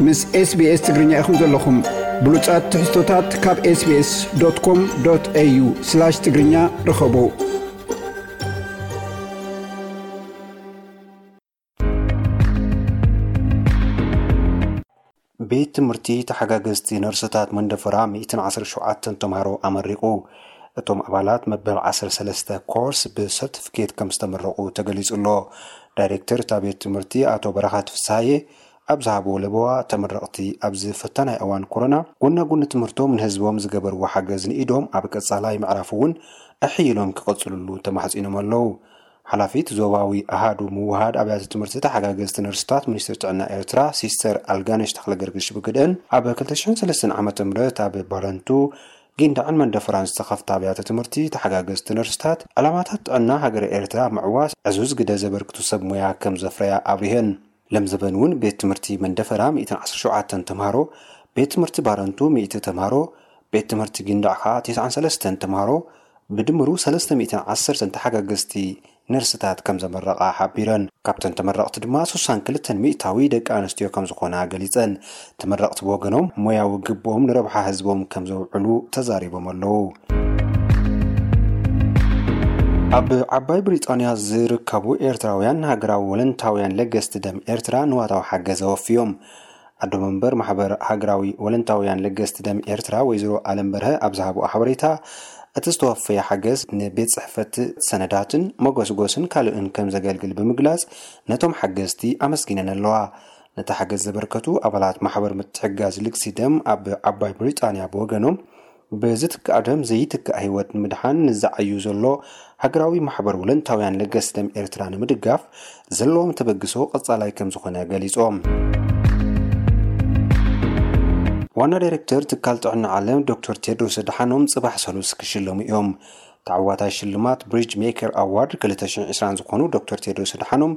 ምስ SBS ትግርኛ ኢኹም ዘለኹም። ብሉጻት ትሕዝቶታት ካብ SBS.com.au/ትግርኛ ርኸቡ። ቤት ትምህርቲ ተሓጋገዝቲ ነርስታት መንደፈራ ሚእትን ዓሰርተ ሸውዓተን ተምሃሮ ኣመሪቑ። እቶም ኣባላት መበል ዓሰርተ ሰለስተ ኮርስ ብሰርቲፊኬት ከም ዝተመረቑ ተገሊጹ ኣሎ። ዳይሬክተር እታ ቤት ትምህርቲ ኣቶ በረኻት ፍስሃየ ኣብ ዝሃብዎ ለበዋ፣ ተመረቕቲ ኣብዚ ፈታናይ እዋን ኮሮና ጎና ጎኒ ትምህርቶም ንህዝቦም ዝገበርዎ ሓገዝ ንኢዶም ኣብ ቀጻላይ ምዕራፍ እውን ኣሕይሎም ክቐጽልሉ ተማሕጺኖም ኣለዉ። ሓላፊት ዞባዊ ኣሃዱ ምውሃድ ኣብያተ ትምህርቲ ተሓጋገዝቲ ነርስታት ሚኒስትሪ ጥዕና ኤርትራ ሲስተር ኣልጋነሽ ተኽለገርግሽ ብግደን፣ ኣብ ክልተ ሽሕን ሰለስተን ዓመተ ምህረት ኣብ ባረንቱ፣ ጊንዳዕን መንደፈራን ዝተኸፍታ ኣብያተ ትምህርቲ ተሓጋገዝቲ ነርስታት ዕላማታት ጥዕና ሃገረ ኤርትራ ምዕዋስ ዕዙዝ ግደ ዘበርክቱ ሰብ ሞያ ከም ዘፍረያ ኣብሪሀን። ለምዘበን እውን ቤት ትምህርቲ መንደፈራ ሚእትን ዓሰርተ ሸውዓተን ተምሃሮ፣ ቤት ትምህርቲ ባረንቱ ሚእቲ ተምሃሮ፣ ቤት ትምህርቲ ጊንዳዕ ኸኣ ተስዓን ሰለስተን ተምሃሮ፣ ብድምሩ ሰለስተ ሚእትን ዓሰርተን ተሓጋገዝቲ ነርስታት ከም ዘመረቓ ሓቢረን። ካብተን ተመረቕቲ ድማ ስሳን ክልተን ሚእታዊ ደቂ ኣንስትዮ ከም ዝኾና ገሊጸን። ተመረቕቲ ብወገኖም ሞያዊ ግብኦም ንረብሓ ህዝቦም ከም ዘውዕሉ ተዛሪቦም ኣለዉ። ኣብ ዓባይ ብሪጣንያ ዝርከቡ ኤርትራውያን ሃገራዊ ወለንታውያን ለገስቲ ደም ኤርትራ ንዋታዊ ሓገዝ ኣወፍዮም። ኣዶ መንበር ማሕበር ሃገራዊ ወለንታውያን ለገስቲ ደም ኤርትራ ወይዘሮ ኣለም በርሀ ኣብ ዝሃብኦ ሓበሬታ፣ እቲ ዝተወፈየ ሓገዝ ንቤት ጽሕፈት ሰነዳትን መጎስጎስን ካልእን ከም ዘገልግል ብምግላጽ፣ ነቶም ሓገዝቲ ኣመስጊነን ኣለዋ። ነቲ ሓገዝ ዘበርከቱ ኣባላት ማሕበር ምትሕግጋዝ ልግሲ ደም ኣብ ዓባይ ብሪጣንያ ብወገኖም፣ ብዝትካእ ደም ዘይትካእ ህይወት ንምድሓን ንዝዓዩ ዘሎ ሃገራዊ ማሕበር ወለንታውያን ለገስቲ ደም ኤርትራ ንምድጋፍ ዘለዎም ተበግሶ ቀጻላይ ከም ዝኾነ ገሊጾም። ዋና ዳይሬክተር ትካል ጥዕና ዓለም ዶክተር ቴድሮስ ኣድሓኖም ጽባሕ ሰሉስ ክሽለሙ እዮም። ተዓዋታይ ሽልማት ብሪጅ ሜከር ኣዋርድ ክልተ ሽሕን ዕስራን ዝኾኑ ዶክተር ቴድሮስ ኣድሓኖም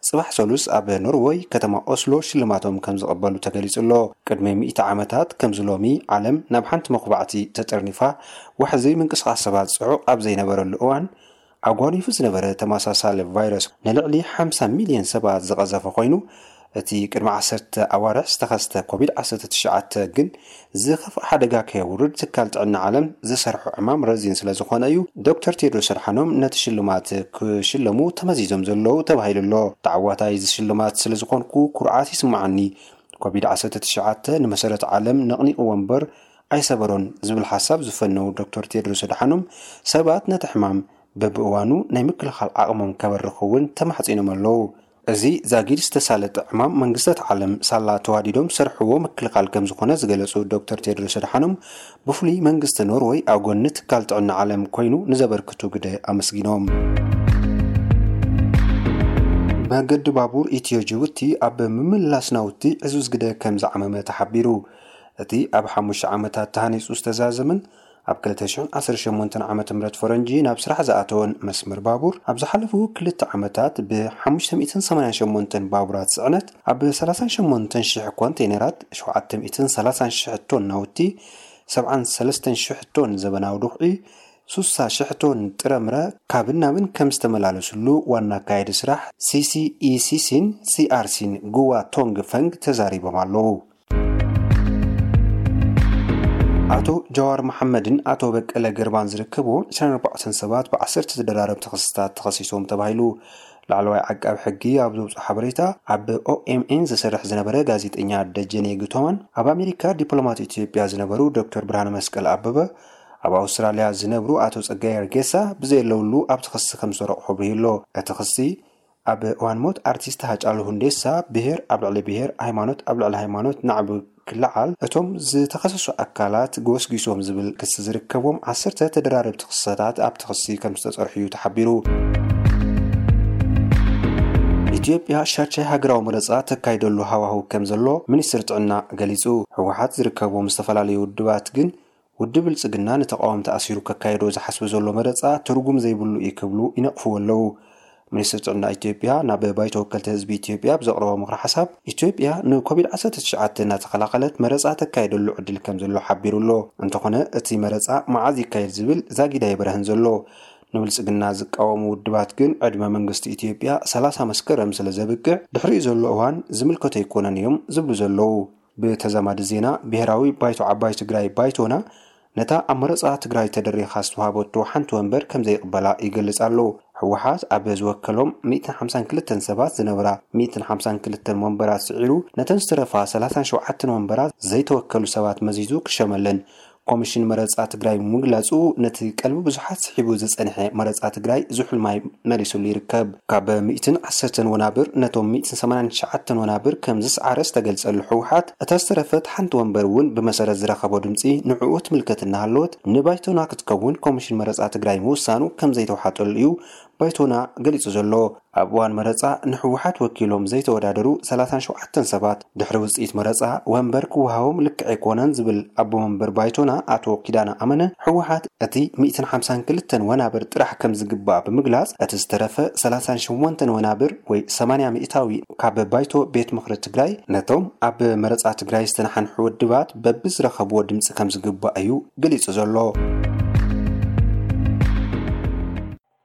ጽባሕ ሰሉስ ኣብ ኖርወይ ከተማ ኦስሎ ሽልማቶም ከም ዝቐበሉ ተገሊጹ ኣሎ። ቅድሚ ሚእቲ ዓመታት ከምዚ ሎሚ ዓለም ናብ ሓንቲ መኹባዕቲ ተጠርኒፋ ዋሕዚ ምንቅስቓስ ሰባት ጽዑቕ ኣብ ዘይነበረሉ እዋን ኣጓኒፉ ዝነበረ ተመሳሳሊ ቫይረስ ንልዕሊ ሓምሳ ሚልዮን ሰባት ዝቐዘፈ ኮይኑ፣ እቲ ቅድሚ ዓሰርተ ኣዋርሕ ዝተኸስተ ኮቪድ ዓሰርተ ትሽዓተ ግን ዝኸፍኣ ሓደጋ ከየውርድ ትካል ጥዕና ዓለም ዝሰርሖ ዕማም ረዚን ስለ ዝኾነ እዩ ዶክተር ቴድሮስ ኣድሓኖም ነቲ ሽልማት ክሽለሙ ተመዚዞም ዘለዉ ተባሂሉ ኣሎ። ተዓዋታይ እዚ ሽልማት ስለ ዝኾንኩ ኩርዓት ይስምዓኒ። ኮቪድ ዓሰርተ ትሽዓተ ንመሰረት ዓለም ነቕኒቕዎ እምበር ኣይሰበሮን ዝብል ሓሳብ ዝፈነው ዶክተር ቴድሮስ ኣድሓኖም ሰባት ነቲ ሕማም በብእዋኑ ናይ ምክልኻል ዓቕሞም ከበርኹ እውን ተማሕጺኖም ኣለዉ። እዚ ዛጊድ ዝተሳለጠ ዕማም መንግስታት ዓለም ሳላ ተዋዲዶም ዝሰርሕዎ ምክልኻል ከም ዝኾነ ዝገለጹ ዶክተር ቴድሮስ ኣድሓኖም ብፍሉይ መንግስቲ ኖርወይ ኣብ ጎኒ ትካል ጥዕና ዓለም ኮይኑ ንዘበርክቱ ግደ ኣመስጊኖም። መገዲ ባቡር ኢትዮ ጅቡቲ ኣብ ምምላስ ናውቲ ዕዙዝ ግደ ከም ዝዓመመ ተሓቢሩ። እቲ ኣብ ሓሙሽተ ዓመታት ተሃኒጹ ዝተዛዘመን ኣብ ክልተ ሽሕን ዓሰርተ ሸሞንተን ዓመተ ምህረት ፈረንጂ ናብ ስራሕ ዝኣተወን መስመር ባቡር ኣብ ዝሓለፉ ክልተ ዓመታት ብ ሓሙሽተ ሚእትን ሰማንያን ሸሞንተን ባቡራት ጽዕነት ኣብ ሰላሳን ሸሞንተን ሽሕ ኮንቴነራት ሸውዓተ ሚእትን ሰላሳን ሽሕ ቶን ናውቲ ሰብዓን ሰለስተን ሽሕ ቶን ዘበናዊ ድኹዒ ሱሳ ሽሕ ቶን ጥረምረ ካብን ናብን ከም ዝተመላለስሉ ዋና ኣካየዲ ስራሕ ሲሲኢሲሲን ሲኣርሲን ጉዋ ቶንግ ፈንግ ተዛሪቦም ኣለዉ። ኣቶ ጃዋር መሓመድን ኣቶ በቀለ ገርባን ዝርከብዎም ዕስራን ኣርባዕተን ሰባት ብዓሰርተ ተደራረብቲ ክስታት ተኸሲሶም ተባሂሉ። ላዕለዋይ ዓቃቢ ሕጊ ኣብ ዘውፅኦ ሓበሬታ፣ ኣብ ኦኤምኤን ዝሰርሕ ዝነበረ ጋዜጠኛ ደጀኔ ግቶማን ኣብ ኣሜሪካ ዲፕሎማት ኢትዮጵያ ዝነበሩ ዶክተር ብርሃነ መስቀል ኣበበ፣ ኣብ ኣውስትራልያ ዝነብሩ ኣቶ ጸጋይ ኣርጌሳ ብዘየለውሉ ኣብቲ ክሲ ከም ዝተረቑሑ ኣብሪሁ ኣሎ። እቲ ክሲ ኣብ እዋን ሞት ኣርቲስት ሃጫሉ ሁንዴሳ ብሄር ኣብ ልዕሊ ብሄር፣ ሃይማኖት ኣብ ልዕሊ ሃይማኖት ናዕቢ ክለዓል እቶም ዝተኸሰሱ ኣካላት ጎስጒሶም ዝብል ክሲ ዝርከቦም ዓሰርተ ተደራረብቲ ክስታት ኣብቲ ክሲ ከም ዝተጸርሑ እዩ ተሓቢሩ። ኢትዮጵያ ሻድሻይ ሃገራዊ መረጻ ተካይደሉ ሃዋህው ከም ዘሎ ሚኒስትር ጥዕና ገሊጹ። ህወሓት ዝርከቦም ዝተፈላለዩ ውድባት ግን ውድብ ብልጽግና ንተቓወምቲ ኣሲሩ ከካየዶ ዝሓስብ ዘሎ መረጻ ትርጉም ዘይብሉ እዩ ክብሉ ይነቕፍዎ ኣለዉ። ሚኒስትር ጥዕና ኢትዮጵያ ናብ ባይቶ ወከልቲ ህዝቢ ኢትዮጵያ ብዘቕረቦ ምኽሪ ሓሳብ፣ ኢትዮጵያ ንኮቪድ ዓሰርተ ትሽዓተ እናተኸላኸለት መረጻ ተካየደሉ ዕድል ከም ዘሎ ሓቢሩ ኣሎ። እንተኾነ እቲ መረጻ መዓዝ ይካየድ ዝብል ዛጊድ ኣይበረህን ዘሎ። ንብልጽግና ዝቃወሙ ውድባት ግን ዕድመ መንግስቲ ኢትዮጵያ ሰላሳ መስከረም ስለ ዘብቅዕ ድሕሪኡ ዘሎ እዋን ዝምልከቶ ኣይኮነን እዮም ዝብሉ ዘለዉ። ብተዛማዲ ዜና፣ ብሄራዊ ባይቶ ዓባይ ትግራይ፣ ባይቶና፣ ነታ ኣብ መረፃ ትግራይ ተደሪኻ ዝተዋሃበቶ ሓንቲ ወንበር ከም ዘይቕበላ ይገልጽ ኣሎ። ህወሓት ኣብ ዝወከሎም ሚእትን ሓምሳን ክልተን ሰባት ዝነበራ ሚእትን ሓምሳን ክልተን ወንበራት ስዒሩ፣ ነተን ዝተረፋ ሰላሳን ሸውዓተን ወንበራት ዘይተወከሉ ሰባት መዚዙ ክሸመለን ኮሚሽን መረፃ ትግራይ ምግላጹ፣ ነቲ ቀልቢ ብዙሓት ስሒቡ ዝጸንሐ መረጻ ትግራይ ዝሑል ማይ መሊሱሉ ይርከብ። ካብ ሚእትን ዓሰርተን ወናብር ነቶም ሚእትን ሰማንያን ትሽዓተን ወናብር ከም ዝሰዓረ ዝተገልጸሉ ህወሓት፣ እታ ዝተረፈት ሓንቲ ወንበር እውን ብመሰረት ዝረኸቦ ድምጺ ንዕኡ ትምልከት እናሃለወት፣ ንባይቶና ክትከውን ኮሚሽን መረጻ ትግራይ ምውሳኑ ከም ዘይተውሓጠሉ እዩ ባይቶና ገሊጹ ዘሎ። ኣብ እዋን መረጻ ንህወሓት ወኪሎም ዘይተወዳደሩ ሰላሳን ሸውዓተን ሰባት ድሕሪ ውጽኢት መረጻ ወንበር ክወሃቦም ልክዕ ኣይኮነን ዝብል ኣቦ መንበር ባይቶና ኣቶ ኪዳነ ኣመነ፣ ህወሓት እቲ ሚእትን ሓምሳን ክልተን ወናብር ጥራሕ ከም ዝግባእ ብምግላጽ፣ እቲ ዝተረፈ ሰላሳን ሸሞንተን ወናብር ወይ ሰማንያ ሚእታዊ ካብ ባይቶ ቤት ምኽሪ ትግራይ ነቶም ኣብ መረጻ ትግራይ ዝተነሓንሑ ውድባት በብዝረኸብዎ ድምጺ ከም ዝግባእ እዩ ገሊጹ ዘሎ።